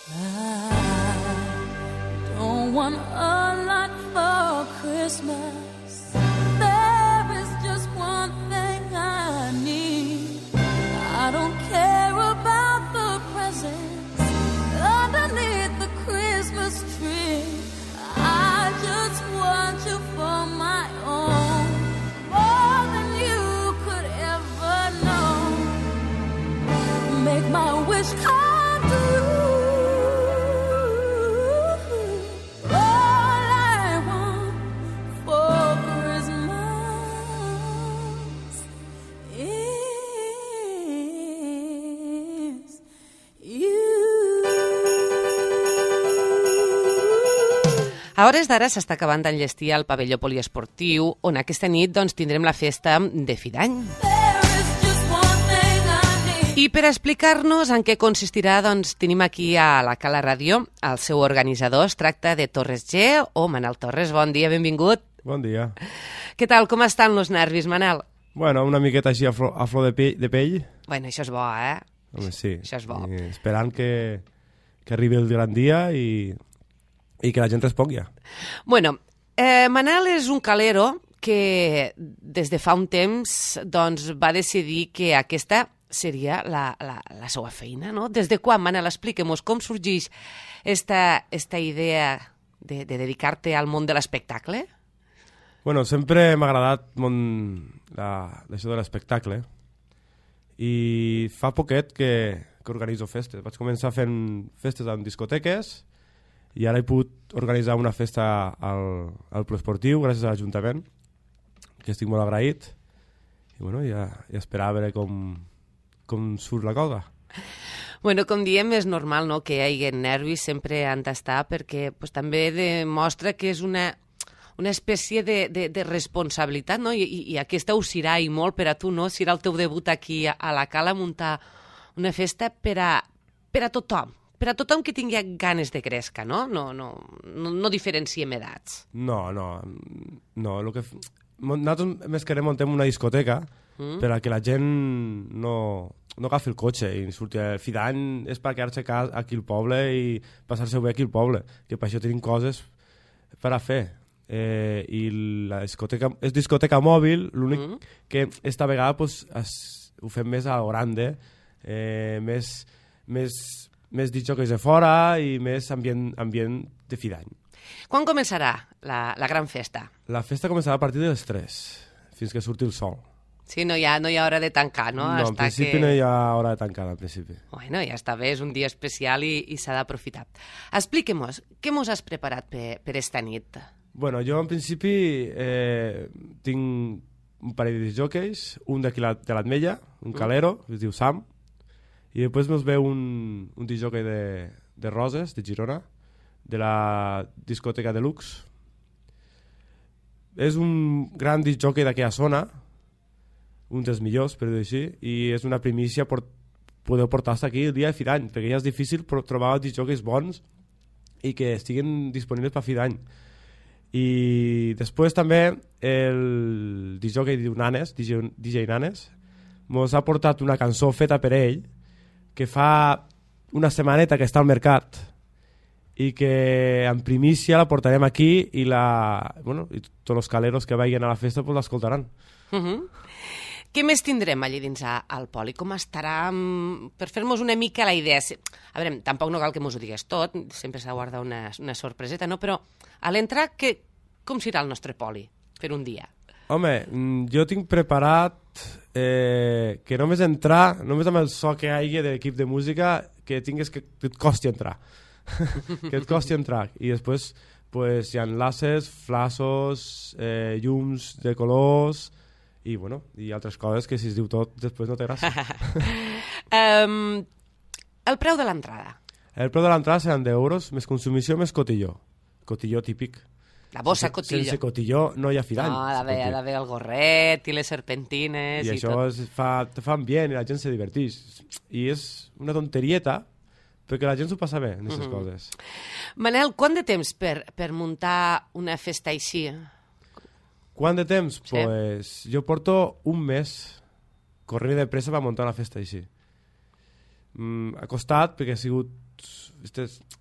I don't want a lot for Christmas. There is just one thing I need. I don't care about the presents underneath the Christmas tree. I just want you for my own, more than you could ever know. Make my wish come true. All I want for Christmas is you. A hores d'ara s'està acabant d'enllestir el pavelló poliesportiu, on aquesta nit tindrem la festa de fi d'any. I per explicar-nos en què consistirà, tenim aquí a la Cala Ràdio el seu organitzador. Es tracta de Torres G o Manel Torres. Bon dia, benvingut. Bon dia. Què tal, com estan els nervis, Manel? Bueno, una miqueta així a flor de pell. Bueno, això és bo, eh? Home, sí. Això és bo. Esperant que arribi el gran dia i que la gent respongui. Bueno, Manel és un calero que des de fa un temps va decidir que aquesta seria la seva feina, no? Des de quan, Manel? Expliquem-nos com sorgeix esta idea de dedicar-te al món de l'espectacle? Bueno, sempre m'ha agradat això de l'espectacle i fa poquet que organitzo festes. Vaig començar fent festes en discoteques i ara he pogut organitzar una festa al Poliesportiu gràcies a l'Ajuntament, que estic molt agraït, i bueno, ja esperar a veure com surt la cosa. Bueno, com diem, és normal, no?, que hi hagi nervis, sempre han d'estar, perquè també demostra que és una espècie de responsabilitat, no?, i aquesta us serà i molt per a tu, no?, serà el teu debut aquí a la Cala, muntar una festa per a tothom. Per a tothom que tingui ganes de créixer, no? No diferenciem edats. No. Nosaltres més que muntem una discoteca per a que la gent no agafi el cotxe i surti a fi d'any. És per quedar-se aquí al poble i passar-se bé aquí al poble, que per això tenim coses per a fer. I la discoteca és discoteca mòbil, l'únic que esta vegada ho fem més a grande, més discjòqueis de fora i més ambient de fi d'any. Quan començarà la gran festa? La festa començarà a partir de les 3, fins que surti el sol. Sí, no hi ha hora de tancar, no? No, en principi no hi ha hora de tancar, en principi. Bueno, ja està bé, és un dia especial i s'ha d'aprofitar. Expliquem-nos, què mos has preparat per esta nit? Bueno, jo en principi tinc un parell de discjòqueis, un d'aquí de l'Atmella, un calero, que es diu Sam, i després ens ve un discjòquei de Roses, de Girona, de la discoteca Deluxe. És un gran discjòquei d'aquella zona, un dels millors, per dir-ho així, i és una primícia poder portar-se aquí el dia de fi d'any, perquè ja és difícil trobar discjòqueis bons i que estiguin disponibles per fi d'any. I després també el discjòquei diu Nanes, DJ Nanes, ens ha portat una cançó feta per ell, que fa una setmaneta que està al mercat i que en primícia la portarem aquí i tots els caleros que vagin a la festa l'escoltaran. Què més tindrem allí dins al Poli? Com estarà? Per fer-nos una mica la idea. A veure, tampoc no cal que mos ho digues tot, sempre s'ha de guardar una sorpreseta, no? Però a l'entrar, com serà el nostre Poli per un dia? Home, jo tinc preparat que només entrar, només amb el so que hi hagi de l'equip de música, que tingues que et costi entrar. Que et costi entrar. I després hi ha laces, flassos, llums de colors i altres coses que si es diu tot després no té gràcia. El preu de l'entrada? El preu de l'entrada seran 10 euros, més consumició, més cotilló. Cotilló típic. La bossa cotilló. Sense cotilló no hi ha fi d'any. No, ha d'haver el gorret i les serpentines i això te fa ambient i la gent se diverteix. I és una tonterieta, perquè la gent s'ho passa bé en aquestes coses. Manel, quant de temps per muntar una festa així? Quant de temps? Sí. Pues jo porto un mes corrent de pressa per muntar una festa així. Ha costat perquè ha sigut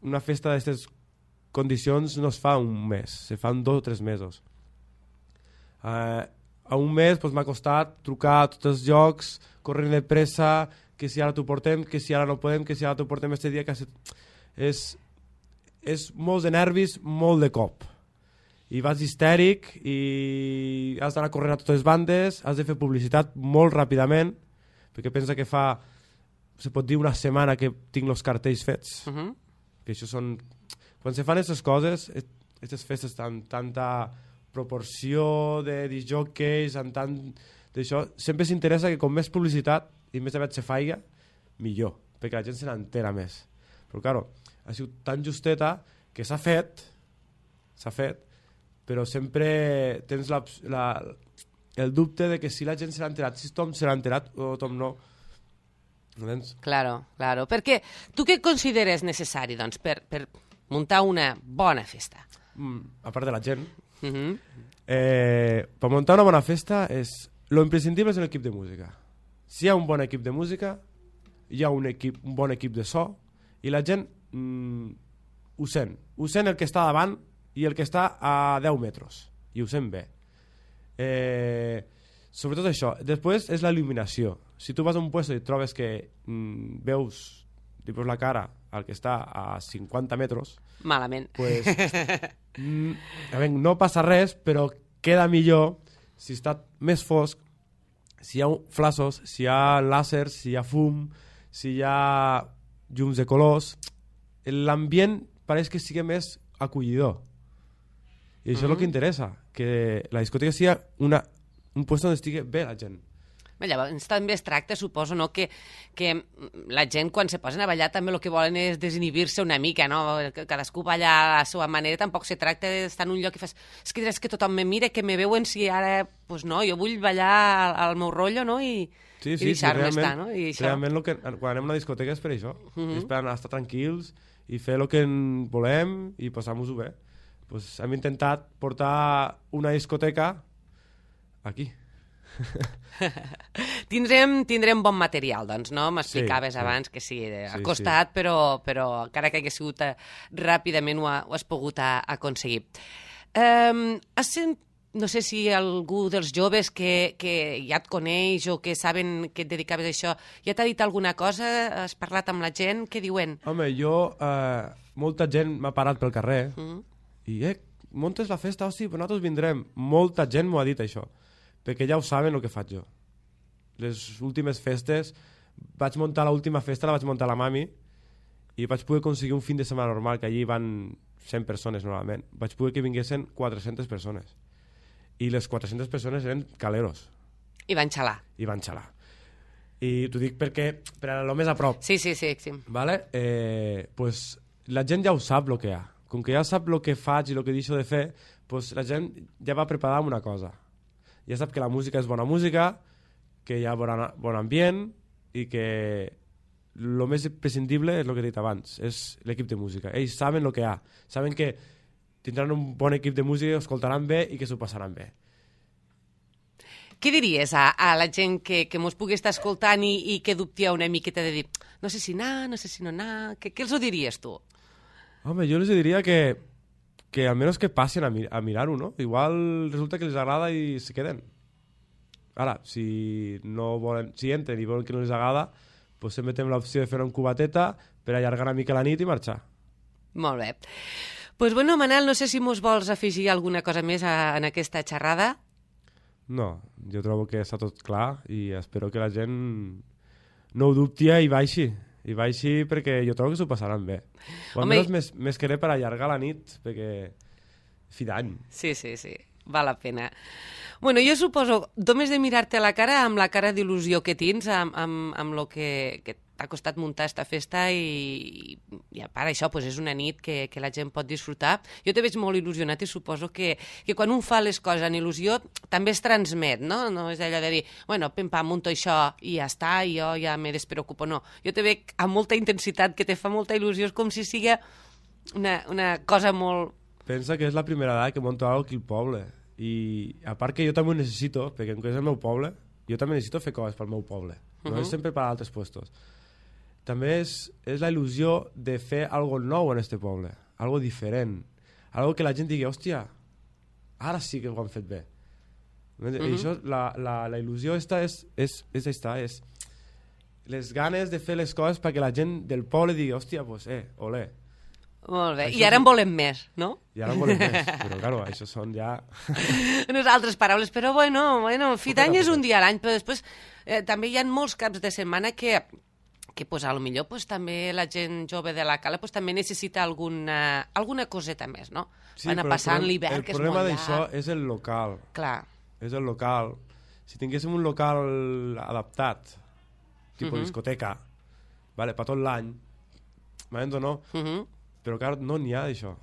una festa d'aquestes condicions no es fa un mes, se fan 2 o 3 mesos. A un mes pues, m'ha costat trucar a tots els llocs, corrent de pressa, que si ara t'ho portem, que si ara no podem, que si ara t'ho portem este dia... És molt de nervis, molt de cop. I vas histèric i has d'anar corrent a totes les bandes, has de fer publicitat molt ràpidament, perquè pensa que fa, se pot dir, una setmana que tinc els cartells fets. Que això són... Quan se fan aquestes coses, aquestes festes amb tanta proporció de disjòqueis, amb tant d'això, sempre s'interessa que com més publicitat i més aviat se faiga, millor, perquè la gent se n'entera més. Però, claro, ha sigut tan justeta que s'ha fet, però sempre tens el dubte de que si la gent se l'ha enterat, si tothom se l'ha enterat o tothom no. Claro. Perquè tu què consideres necessari, doncs, per muntar una bona festa? A part de la gent. Per muntar una bona festa lo imprescindible és l'equip de música. Si hi ha un bon equip de música, hi ha un bon equip de so i la gent ho sent el que està davant i el que està a 10 metres i ho sent bé. Sobretot això. Després és la il·luminació. Si tu vas a un lloc i trobes que veus la cara al que està a 50 metres, malament, pues, no passa res, però queda millor si està més fosc, si hi ha flassos, si hi ha làsers, si hi ha fum, si hi ha llums de colors. L'ambient pareix que sigui més acollidor. I això és el que interessa, que la discoteca sigui un lloc on estigui bé la gent. Llavors també es tracta, suposo, no, que la gent quan se posen a ballar també el que volen és desinhibir-se una mica, no? Cadascú balla a la seva manera, tampoc se tracta d'estar en un lloc i fas, és que tothom me mira, que me veuen si ara, pues no, jo vull ballar al meu rotllo, no? I deixar-me estar, no? I això... Realment quan anem a una discoteca és per això, és per anar a estar tranquils i fer el que volem i passar-nos-ho bé. Pues hem intentat portar una discoteca aquí. Tindrem bon material, doncs, no? M'explicaves abans que sí, ha costat, però encara que hagués sigut ràpidament ho has pogut aconseguir. No sé si algú dels joves que ja et coneix o que saben que et dedicaves a això ja t'ha dit alguna cosa? Has parlat amb la gent? Què diuen? Home, molta gent m'ha parat pel carrer i muntes la festa, hosti, però nosaltres vindrem. Molta gent m'ho ha dit això, perquè ja ho saben el que faig jo. Les últimes festes, l'última festa la vaig muntar a la mami i vaig poder aconseguir un fin de setmana normal, que allí van 100 persones normalment. Vaig poder que vinguessin 400 persones. I les 400 persones eren caleros. I van xalar. I t'ho dic perquè per anar-lo més a prop. Sí. Vale? Pues, la gent ja ho sap el que hi ha. Com que ja sap el que faig i el que deixo de fer, pues, la gent ja va preparada amb una cosa. Ja sap que la música és bona música, que hi ha bon ambient i que el més imprescindible és el que he dit abans, és l'equip de música. Ells saben el que hi ha, saben que tindran un bon equip de música, escoltaran bé i que s'ho passaran bé. Què diries a la gent que mos pugui estar escoltant i que dubtia una miqueta de dir no sé si anar, no sé si no anar... Què els ho diries tu? Home, jo els diria que almenys que passin a mirar-ho, no? Igual resulta que els agrada i se queden. Ara, si entren i volen que no els agrada, doncs sempre tenim l'opció de fer una cubateta per allargar una mica la nit i marxar. Molt bé. Doncs bueno, Manel, no sé si mos vols afegir alguna cosa més en aquesta xerrada. No, jo trobo que està tot clar i espero que la gent no ho dubti i baixi. I baixi perquè jo trobo que s'ho passaran bé. O almenys més que res per allargar la nit, perquè fi d'any. Sí, val la pena. Bueno, jo suposo, només de mirar-te a la cara, amb la cara d'il·lusió que tens, amb el que t'ha costat muntar esta festa i a part això pues és una nit que la gent pot disfrutar. Jo te veig molt il·lusionat i suposo que quan un fa les coses en il·lusió també es transmet, no? No és allò de dir, bueno, pim-pam, munto això i ja està, i jo ja me despreocupo, no. Jo te veig amb molta intensitat, que te fa molta il·lusió, és com si sigui una cosa molt... Pensa que és la primera vegada que monto alguna cosa aquí al poble i a part que jo també ho necessito, perquè com que és el meu poble, jo també necessito fer coses pel meu poble, no és sempre per a altres puestos. també és la il·lusió de fer algo nou en este poble, algo diferent, algo que la gent digui, hòstia, ara sí que ho han fet bé. I això, la il·lusió és les ganes de fer les coses perquè la gent del poble digui, hòstia, pues, olé. Molt bé, Això i ara en volem més, no? I ara en volem més, però claro, això són ja... Unes altres paraules, però bueno, fi d'any és un dia a l'any, però després també hi ha molts caps de setmana que pues, a lo millor pues, també la gent jove de la Cala pues, també necessita alguna coseta més, no? Sí, van a passar en l'hivern, que és molt llarg. El problema d'això és el local. Clar. És el local. Si tinguéssim un local adaptat, tipus discoteca, vale, per tot l'any, m'entens o no? Però clar, no n'hi ha d'això.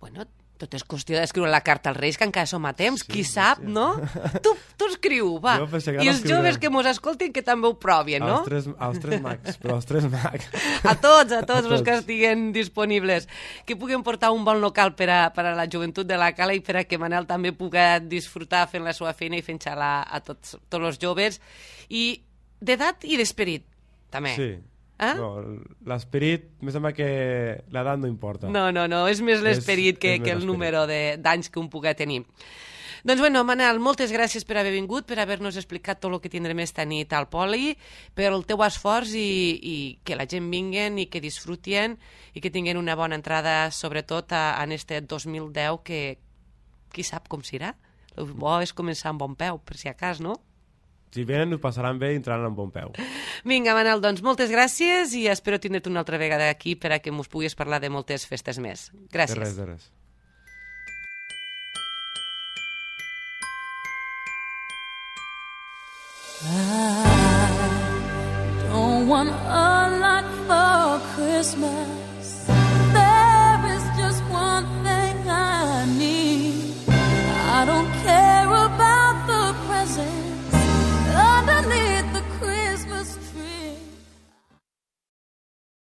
Bueno, tot és qüestió d'escriure la carta als Reis, que encara som a temps, qui sap, sí. no? Tu escriu, va. I els joves que mos escoltin que també ho provien, no? Els tres mags, però els tres mags. A tots els que estiguen disponibles. Que puguem portar un bon local per a la joventut de la Cala i per a que Manel també pugui disfrutar fent la seva feina i fent xalar a tots els joves. I d'edat i d'esperit, també. Sí. No, l'esperit, me sembla que l'edat no importa. No, és més l'esperit que el número d'anys que un pugui tenir. Doncs bueno, Manel, moltes gràcies per haver vingut, per haver-nos explicat tot el que tindrem esta nit al Poli, per el teu esforç i que la gent vinguen i que disfrutien i que tinguin una bona entrada, sobretot en este 2010, que qui sap com serà. El bo és començar amb bon peu, per si a cas, no? Si venen, ho passaran bé i entraran amb bon peu. Vinga, Manel, doncs moltes gràcies i espero tindre't una altra vegada aquí per a que mos puguis parlar de moltes festes més. Gràcies. De res. I don't want a lot for Christmas.